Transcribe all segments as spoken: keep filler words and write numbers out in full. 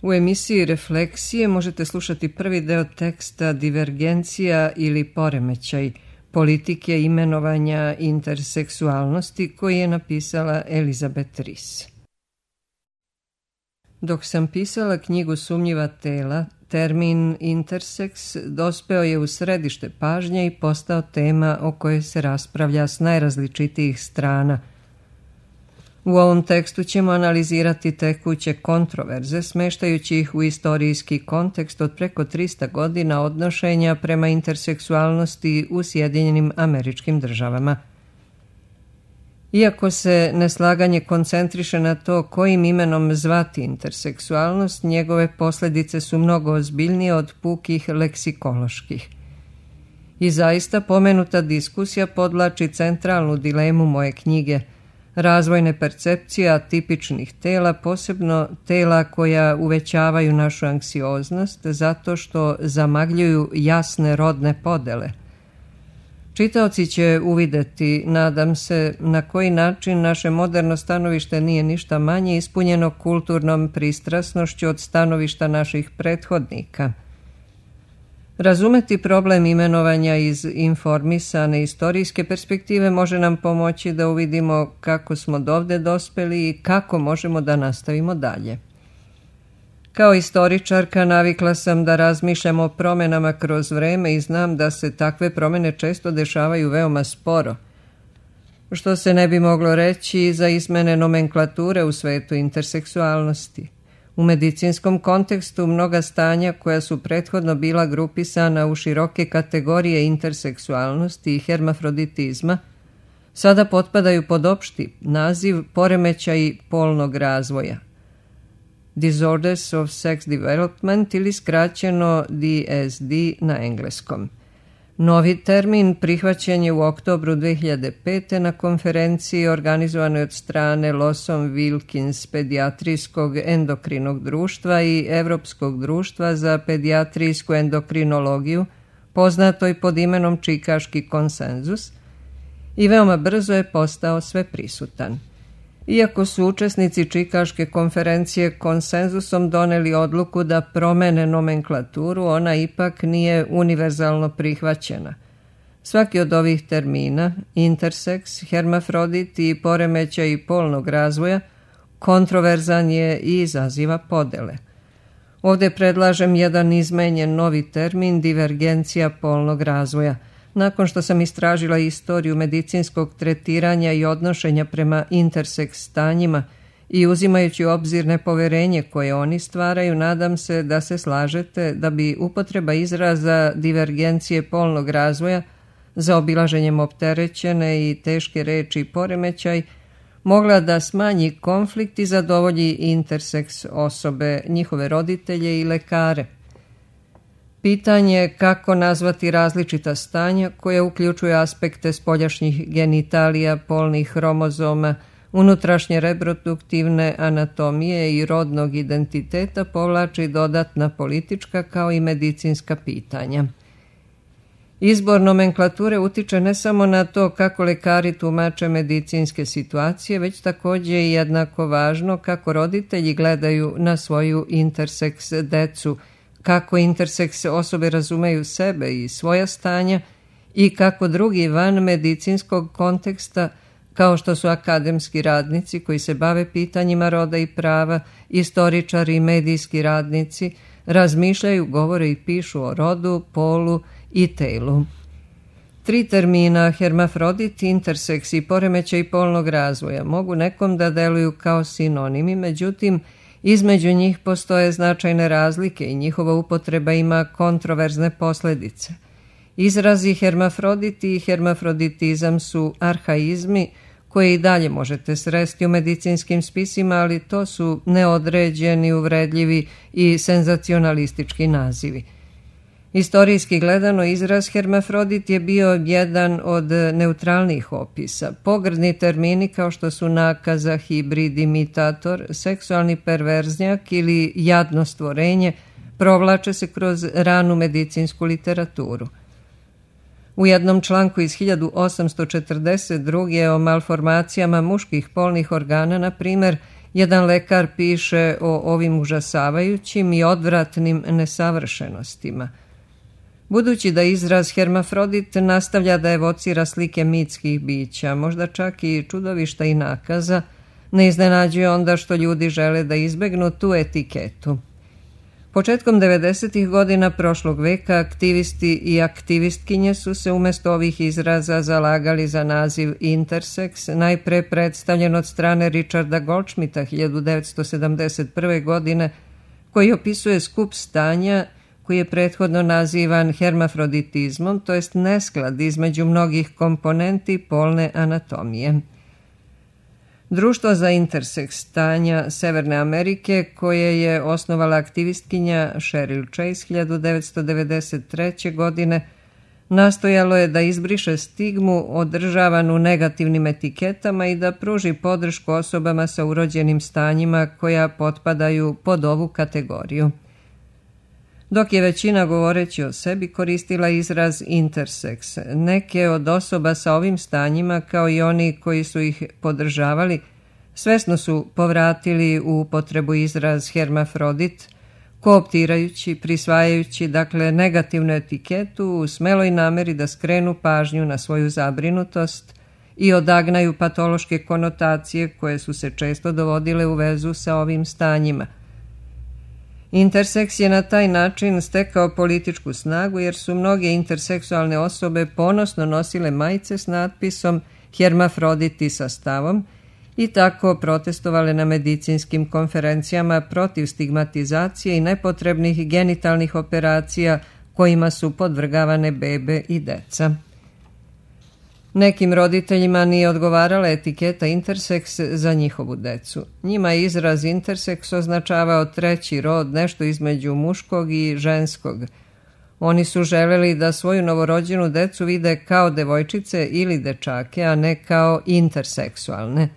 U emisiji Refleksije možete slušati prvi deo teksta Divergencija ili poremećaj politike imenovanja interseksualnosti koji je napisala Elizabeth Ries. Dok sam pisala knjigu Sumnjiva tela, termin interseks dospeo je u središte pažnje i postao tema o kojoj se raspravlja s najrazličitijih strana. U ovom tekstu ćemo analizirati tekuće kontroverze, smeštajući ih u istorijski kontekst od preko trista godina odnošenja prema interseksualnosti u Sjedinjenim Američkim Državama. Iako se neslaganje koncentriše na to kojim imenom zvati interseksualnost, njegove posljedice su mnogo ozbiljnije od pukih leksikoloških. I zaista pomenuta diskusija podvlači centralnu dilemu moje knjige – razvojne percepcije atipičnih tela, posebno tela koja uvećavaju našu anksioznost zato što zamagljuju jasne rodne podele. Čitaoci će uvideti, nadam se, na koji način naše moderno stanovište nije ništa manje ispunjeno kulturnom pristrasnošću od stanovišta naših prethodnika. Razumeti problem imenovanja iz informisane istorijske perspektive može nam pomoći da uvidimo kako smo dovde dospeli i kako možemo da nastavimo dalje. Kao istoričarka navikla sam da razmišljam o promenama kroz vreme i znam da se takve promene često dešavaju veoma sporo, što se ne bi moglo reći za izmene nomenklature u svetu interseksualnosti. U medicinskom kontekstu mnoga stanja koja su prethodno bila grupisana u široke kategorije interseksualnosti i hermafroditizma sada potpadaju pod opšti naziv poremećaji polnog razvoja. Disorders of Sex Development ili skraćeno D S D na engleskom. Novi termin prihvaćen je u oktobru dve hiljade pete. na konferenciji organizovanoj od strane Lawson Wilkins pedijatrijskog endokrinog društva i Evropskog društva za pedijatrijsku endokrinologiju, poznatoj pod imenom Čikaški konsenzus, i veoma brzo je postao sveprisutan. Iako su učesnici Čikaške konferencije konsenzusom doneli odluku da promene nomenklaturu, ona ipak nije univerzalno prihvaćena. Svaki od ovih termina, interseks, hermafrodit i poremećaj polnog razvoja, kontroverzan je i izaziva podele. Ovdje predlažem jedan izmenjen novi termin divergencija polnog razvoja. Nakon što sam istražila istoriju medicinskog tretiranja i odnošenja prema interseks stanjima i uzimajući u obzir nepoverenje koje oni stvaraju, nadam se da se slažete da bi upotreba izraza divergencije polnog razvoja za obilaženjem opterećene i teške reči poremećaj mogla da smanji konflikt i zadovolji interseks osobe, njihove roditelje i lekare. Pitanje kako nazvati različita stanja koja uključuju aspekte spoljašnjih genitalija, polnih hromozoma, unutrašnje reproduktivne anatomije i rodnog identiteta povlači dodatna politička kao i medicinska pitanja. Izbor nomenklature utiče ne samo na to kako lekari tumače medicinske situacije, već također je jednako važno kako roditelji gledaju na svoju interseks decu, kako interseks osobe razumeju sebe i svoja stanja i kako drugi van medicinskog konteksta, kao što su akademski radnici koji se bave pitanjima roda i prava, istoričari i medijski radnici, razmišljaju, govore i pišu o rodu, polu i telu. Tri termina, hermafrodit, interseks i poremećaj polnog razvoja, mogu nekom da deluju kao sinonimi, međutim, između njih postoje značajne razlike i njihova upotreba ima kontroverzne posljedice. Izrazi hermafrodit i hermafroditizam su arhaizmi koje i dalje možete sresti u medicinskim spisima, ali to su neodređeni, uvredljivi i senzacionalistički nazivi. Istorijski gledano, izraz hermafrodit je bio jedan od neutralnih opisa. Pogrdni termini kao što su nakaza, hibrid, imitator, seksualni perverznjak ili jadno stvorenje provlače se kroz ranu medicinsku literaturu. U jednom članku iz hiljadu osamsto četrdeset druge. o malformacijama muških polnih organa, na primjer, Jedan lekar piše o ovim užasavajućim i odvratnim nesavršenostima. Budući da izraz hermafrodit nastavlja da evocira slike mitskih bića, možda čak i čudovišta i nakaza, ne iznenađuje onda što ljudi žele da izbegnu tu etiketu. Početkom devedesetih godina prošlog veka aktivisti i aktivistkinje su se umjesto ovih izraza zalagali za naziv intersex, najpre predstavljen od strane Richarda Goldschmidta hiljadu devetsto sedamdeset prve. godine, koji opisuje skup stanja koji je prethodno nazivan hermafroditizmom, to jest nesklad između mnogih komponenti polne anatomije. Društvo za intersex stanja Severne Amerike, koje je osnovala aktivistkinja Cheryl Chase hiljadu devetsto devedeset treće. godine, nastojalo je da izbriše stigmu održavanu negativnim etiketama i da pruži podršku osobama sa urođenim stanjima koja potpadaju pod ovu kategoriju. Dok je većina govoreći o sebi koristila izraz intersex, neke od osoba sa ovim stanjima, kao i oni koji su ih podržavali, svesno su povratili u upotrebu izraz hermafrodit, kooptirajući, prisvajajući dakle negativnu etiketu u smeloj nameri da skrenu pažnju na svoju zabrinutost i odagnaju patološke konotacije koje su se često dovodile u vezu sa ovim stanjima. Interseks je na taj način stekao političku snagu jer su mnoge interseksualne osobe ponosno nosile majice s natpisom hermafroditi sa stavom i tako protestovale na medicinskim konferencijama protiv stigmatizacije i nepotrebnih genitalnih operacija kojima su podvrgavane bebe i deca. Nekim roditeljima nije odgovarala etiketa interseks za njihovu decu. Njima je izraz interseks označavao treći rod, nešto između muškog i ženskog. Oni su želeli da svoju novorođenu decu vide kao devojčice ili dečake, a ne kao interseksualne.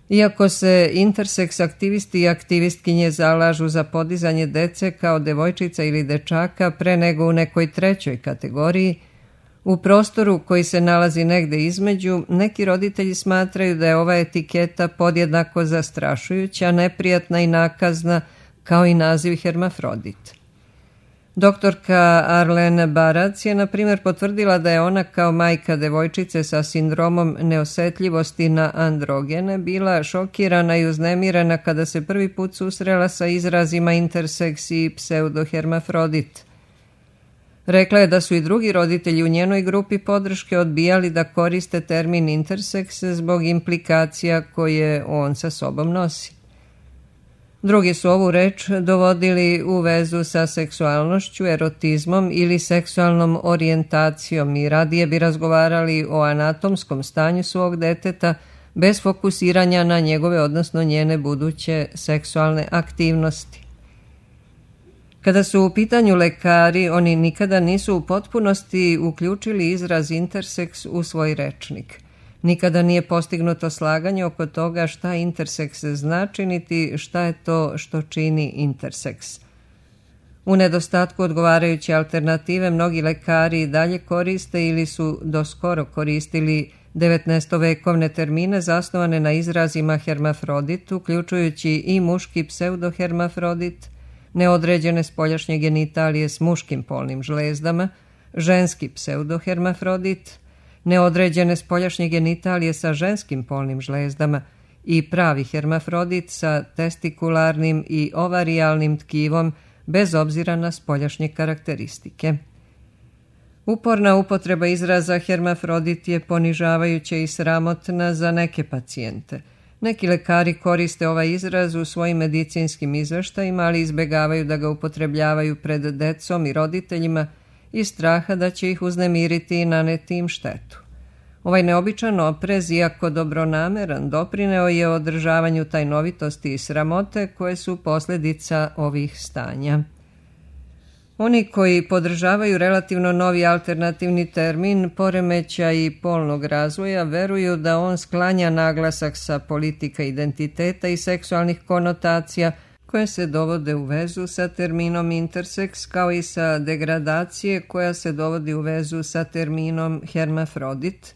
Iako se interseks aktivisti i aktivistkinje zalažu za podizanje dece kao devojčica ili dečaka pre nego u nekoj trećoj kategoriji, u prostoru koji se nalazi negde između, neki roditelji smatraju da je ova etiketa podjednako zastrašujuća, neprijatna i nakazna kao i naziv hermafrodit. Doktorka Arlene Barac je, na primjer, potvrdila da je ona kao majka devojčice sa sindromom neosetljivosti na androgene bila šokirana i uznemirena kada se prvi put susrela sa izrazima interseks i pseudohermafrodit. Rekla je da su i drugi roditelji u njenoj grupi podrške odbijali da koriste termin interseks zbog implikacija koje on sa sobom nosi. Drugi su ovu reč dovodili u vezu sa seksualnošću, erotizmom ili seksualnom orijentacijom i radije bi razgovarali o anatomskom stanju svog deteta bez fokusiranja na njegove, odnosno njene buduće seksualne aktivnosti. Kada su u pitanju lekari, oni nikada nisu u potpunosti uključili izraz interseks u svoj rečnik. Nikada nije postignuto slaganje oko toga šta interseks znači, niti šta je to što čini interseks. U nedostatku odgovarajuće alternative, mnogi lekari i dalje koriste ili su doskoro koristili devetnaestovekovne termine zasnovane na izrazima hermafrodit, uključujući i muški pseudohermafrodit, neodređene spoljašnje genitalije s muškim polnim žlezdama, ženski pseudohermafrodit, neodređene spoljašnje genitalije sa ženskim polnim žlezdama i pravi hermafrodit sa testikularnim i ovarijalnim tkivom bez obzira na spoljašnje karakteristike. Uporna upotreba izraza hermafrodit je ponižavajuća i sramotna za neke pacijente. Neki lekari koriste ovaj izraz u svojim medicinskim izveštajima, ali izbegavaju da ga upotrebljavaju pred decom i roditeljima iz straha da će ih uznemiriti i naneti im štetu. Ovaj neobičan oprez, iako dobronameran, doprineo je održavanju tajnovitosti i sramote koje su posljedica ovih stanja. Oni koji podržavaju relativno novi alternativni termin poremećaj polnog razvoja veruju da on sklanja naglasak sa politika identiteta i seksualnih konotacija koje se dovode u vezu sa terminom interseks, kao i sa degradacije koja se dovodi u vezu sa terminom hermafrodit,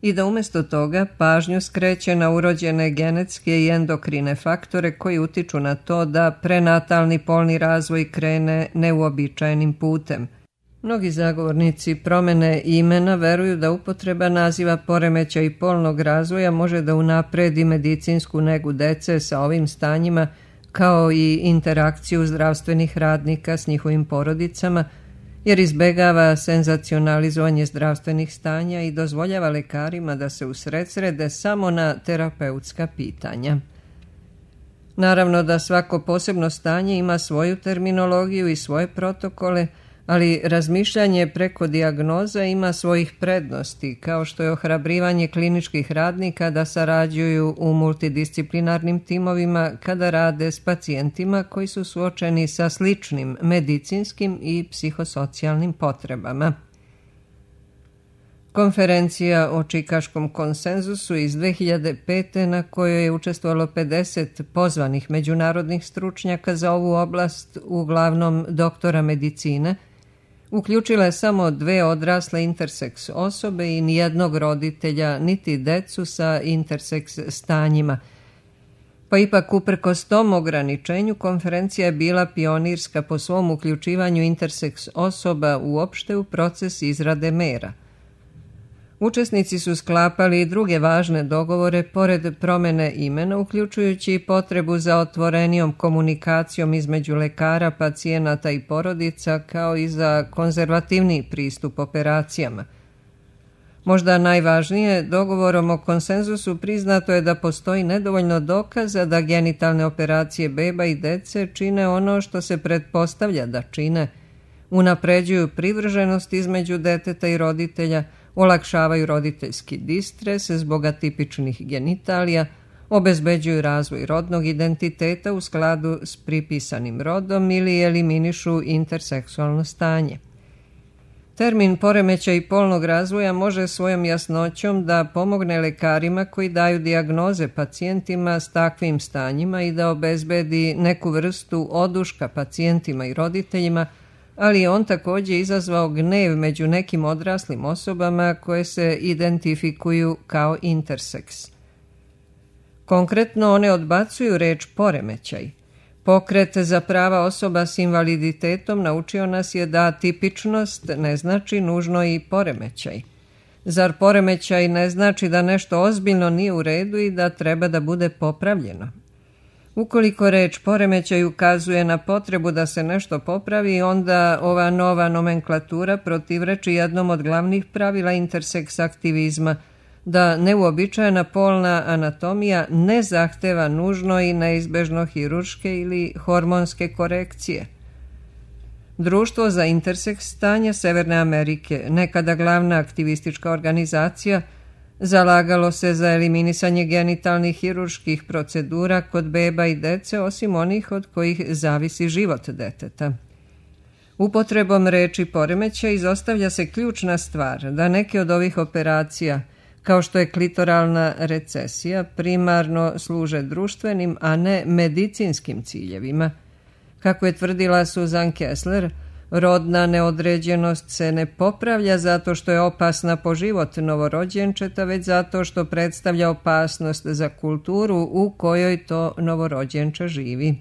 i da umjesto toga pažnju skreće na urođene genetske i endokrine faktore koji utiču na to da prenatalni polni razvoj krene neuobičajenim putem. Mnogi zagovornici promjene imena veruju da upotreba naziva poremećaj polnog razvoja može da unapredi medicinsku negu dece sa ovim stanjima, kao i interakciju zdravstvenih radnika s njihovim porodicama, jer izbegava senzacionalizovanje zdravstvenih stanja i dozvoljava lekarima da se usredsrede samo na terapeutska pitanja. Naravno da svako posebno stanje ima svoju terminologiju i svoje protokole, ali razmišljanje preko dijagnoza ima svojih prednosti, kao što je ohrabrivanje kliničkih radnika da sarađuju u multidisciplinarnim timovima kada rade s pacijentima koji su suočeni sa sličnim medicinskim i psihosocijalnim potrebama. Konferencija o Čikaškom konsenzusu iz dve hiljade pete na kojoj je učestvovalo pedeset pozvanih međunarodnih stručnjaka za ovu oblast, uglavnom doktora medicine, uključila je samo dve odrasle interseks osobe i nijednog roditelja, niti decu sa interseks stanjima. Pa ipak uprkos tom ograničenju konferencija je bila pionirska po svom uključivanju interseks osoba uopšte u proces izrade mera. Učesnici su sklapali i druge važne dogovore pored promjene imena, uključujući potrebu za otvorenijom komunikacijom između lekara, pacijenata i porodica, kao i za konzervativniji pristup operacijama. Možda najvažnije, dogovorom o konsenzusu priznato je da postoji nedovoljno dokaza da genitalne operacije beba i dece čine ono što se pretpostavlja da čine, unapređuju privrženost između deteta i roditelja, olakšavaju roditeljski distres zbog atipičnih genitalija, obezbeđuju razvoj rodnog identiteta u skladu s pripisanim rodom ili eliminišu interseksualno stanje. Termin poremećaj polnog razvoja može svojom jasnoćom da pomogne lekarima koji daju dijagnoze pacijentima s takvim stanjima i da obezbedi neku vrstu oduška pacijentima i roditeljima, ali je on također izazvao gnev među nekim odraslim osobama koje se identifikuju kao interseks. Konkretno one odbacuju reč poremećaj. Pokret za prava osoba s invaliditetom naučio nas je da tipičnost ne znači nužno i poremećaj. Zar poremećaj ne znači da nešto ozbiljno nije u redu i da treba da bude popravljeno? Ukoliko reč poremećaj ukazuje na potrebu da se nešto popravi, onda ova nova nomenklatura protivreči jednom od glavnih pravila interseks aktivizma, da neuobičajena polna anatomija ne zahteva nužno i neizbežno hirurške ili hormonske korekcije. Društvo za interseks stanja Severne Amerike, nekada glavna aktivistička organizacija, zalagalo se za eliminisanje genitalnih hirurških procedura kod beba i dece, osim onih od kojih zavisi život deteta. Upotrebom reči poremećaj izostavlja se ključna stvar da neke od ovih operacija, kao što je klitoralna recesija, primarno služe društvenim, a ne medicinskim ciljevima. Kako je tvrdila Susan Kessler, rodna neodređenost se ne popravlja zato što je opasna po život novorođenčeta, već zato što predstavlja opasnost za kulturu u kojoj to novorođenče živi.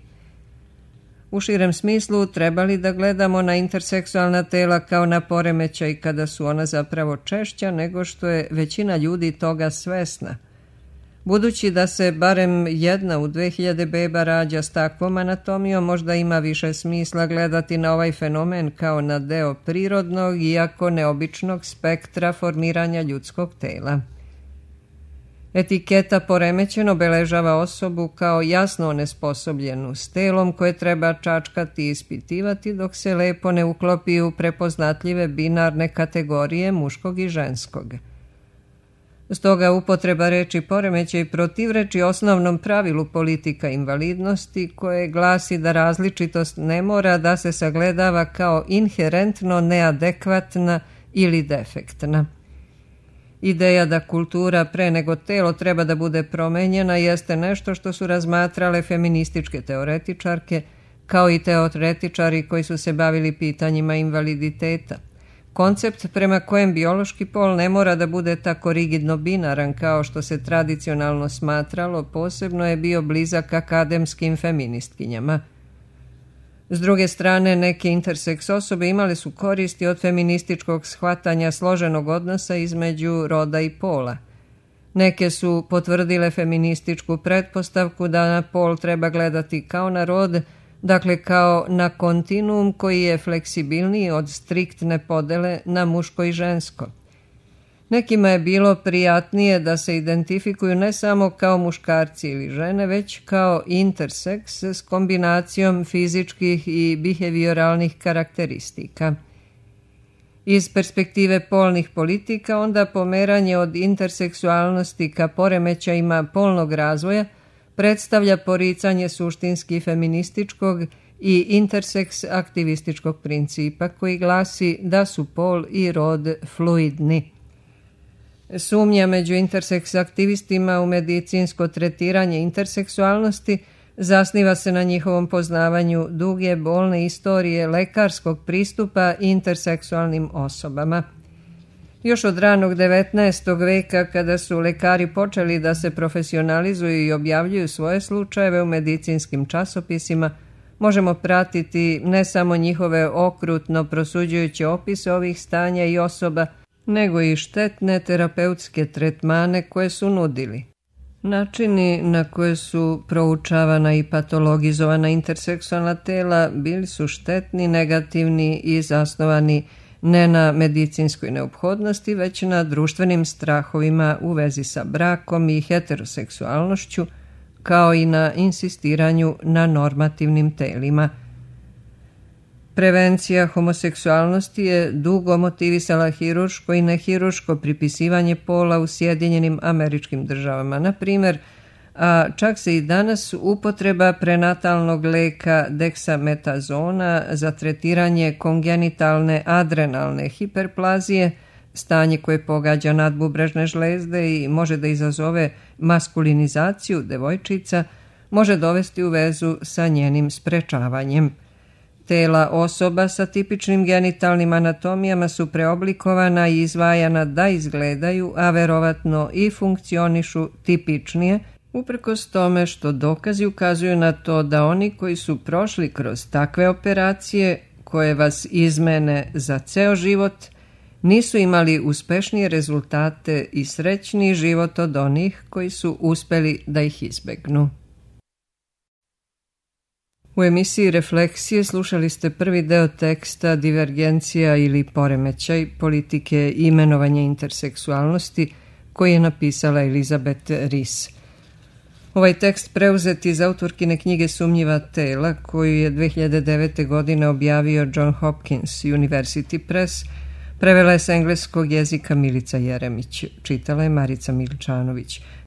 U širem smislu trebali da gledamo na interseksualna tela kao na poremećaj kada su ona zapravo češća nego što je većina ljudi toga svesna. Budući da se barem jedna u dve hiljade beba rađa s takvom anatomijom, možda ima više smisla gledati na ovaj fenomen kao na deo prirodnog, iako neobičnog spektra formiranja ljudskog tela. Etiketa poremećen obeležava osobu kao jasno onesposobljenu s telom koje treba čačkati i ispitivati dok se lepo ne uklopi u prepoznatljive binarne kategorije muškog i ženskog. Stoga upotreba reči poremećaj protivreči osnovnom pravilu politika invalidnosti koje glasi da različitost ne mora da se sagledava kao inherentno neadekvatna ili defektna. Ideja da kultura pre nego telo treba da bude promenjena jeste nešto što su razmatrale feminističke teoretičarke, kao i teoretičari koji su se bavili pitanjima invaliditeta. Koncept prema kojem biološki pol ne mora da bude tako rigidno binaran kao što se tradicionalno smatralo, posebno je bio blizak akademskim feministkinjama. S druge strane, neke interseks osobe imale su koristi od feminističkog shvatanja složenog odnosa između roda i pola. Neke su potvrdile feminističku pretpostavku da na pol treba gledati kao na rod, dakle kao na kontinuum koji je fleksibilniji od striktne podele na muško i žensko. Nekima je bilo prijatnije da se identifikuju ne samo kao muškarci ili žene, već kao interseks s kombinacijom fizičkih i behavioralnih karakteristika. Iz perspektive polnih politika onda pomeranje od interseksualnosti ka poremećajima polnog razvoja predstavlja poricanje suštinski feminističkog i interseks aktivističkog principa koji glasi da su pol i rod fluidni. Sumnja među interseks aktivistima u medicinsko tretiranje interseksualnosti zasniva se na njihovom poznavanju duge bolne istorije lekarskog pristupa interseksualnim osobama. Još od ranog devetnaestog veka, kada su lekari počeli da se profesionalizuju i objavljuju svoje slučajeve u medicinskim časopisima, možemo pratiti ne samo njihove okrutno prosuđujuće opise ovih stanja i osoba, nego i štetne terapeutske tretmane koje su nudili. Načini na koje su proučavana i patologizovana interseksualna tela bili su štetni, negativni i zasnovani ne na medicinskoj neophodnosti, već na društvenim strahovima u vezi sa brakom i heteroseksualnošću, kao i na insistiranju na normativnim telima. Prevencija homoseksualnosti je dugo motivisala hiruško i nehiruško pripisivanje pola u Sjedinjenim Američkim Državama, na primjer, a čak se i danas upotreba prenatalnog leka deksametazona za tretiranje kongenitalne adrenalne hiperplazije, stanje koje pogađa nadbubrežne žlezde i može da izazove maskulinizaciju devojčica, može dovesti u vezu sa njenim sprečavanjem. Tela osoba sa tipičnim genitalnim anatomijama su preoblikovana i izvajana da izgledaju, a verovatno i funkcionišu tipičnije, uprkos tome što dokazi ukazuju na to da oni koji su prošli kroz takve operacije, koje vas izmene za ceo život, nisu imali uspešnije rezultate i srećniji život od onih koji su uspeli da ih izbegnu. U emisiji Refleksije slušali ste prvi deo teksta Divergencija ili poremećaj politike imenovanja interseksualnosti koji je napisala Elizabeth Ries. Ovaj tekst preuzet iz autorkine knjige Sumnjiva tela koju je dve hiljade devete. godine objavio John Hopkins University Press, prevela je s engleskog jezika Milica Jeremić, čitala je Marica Miličanović.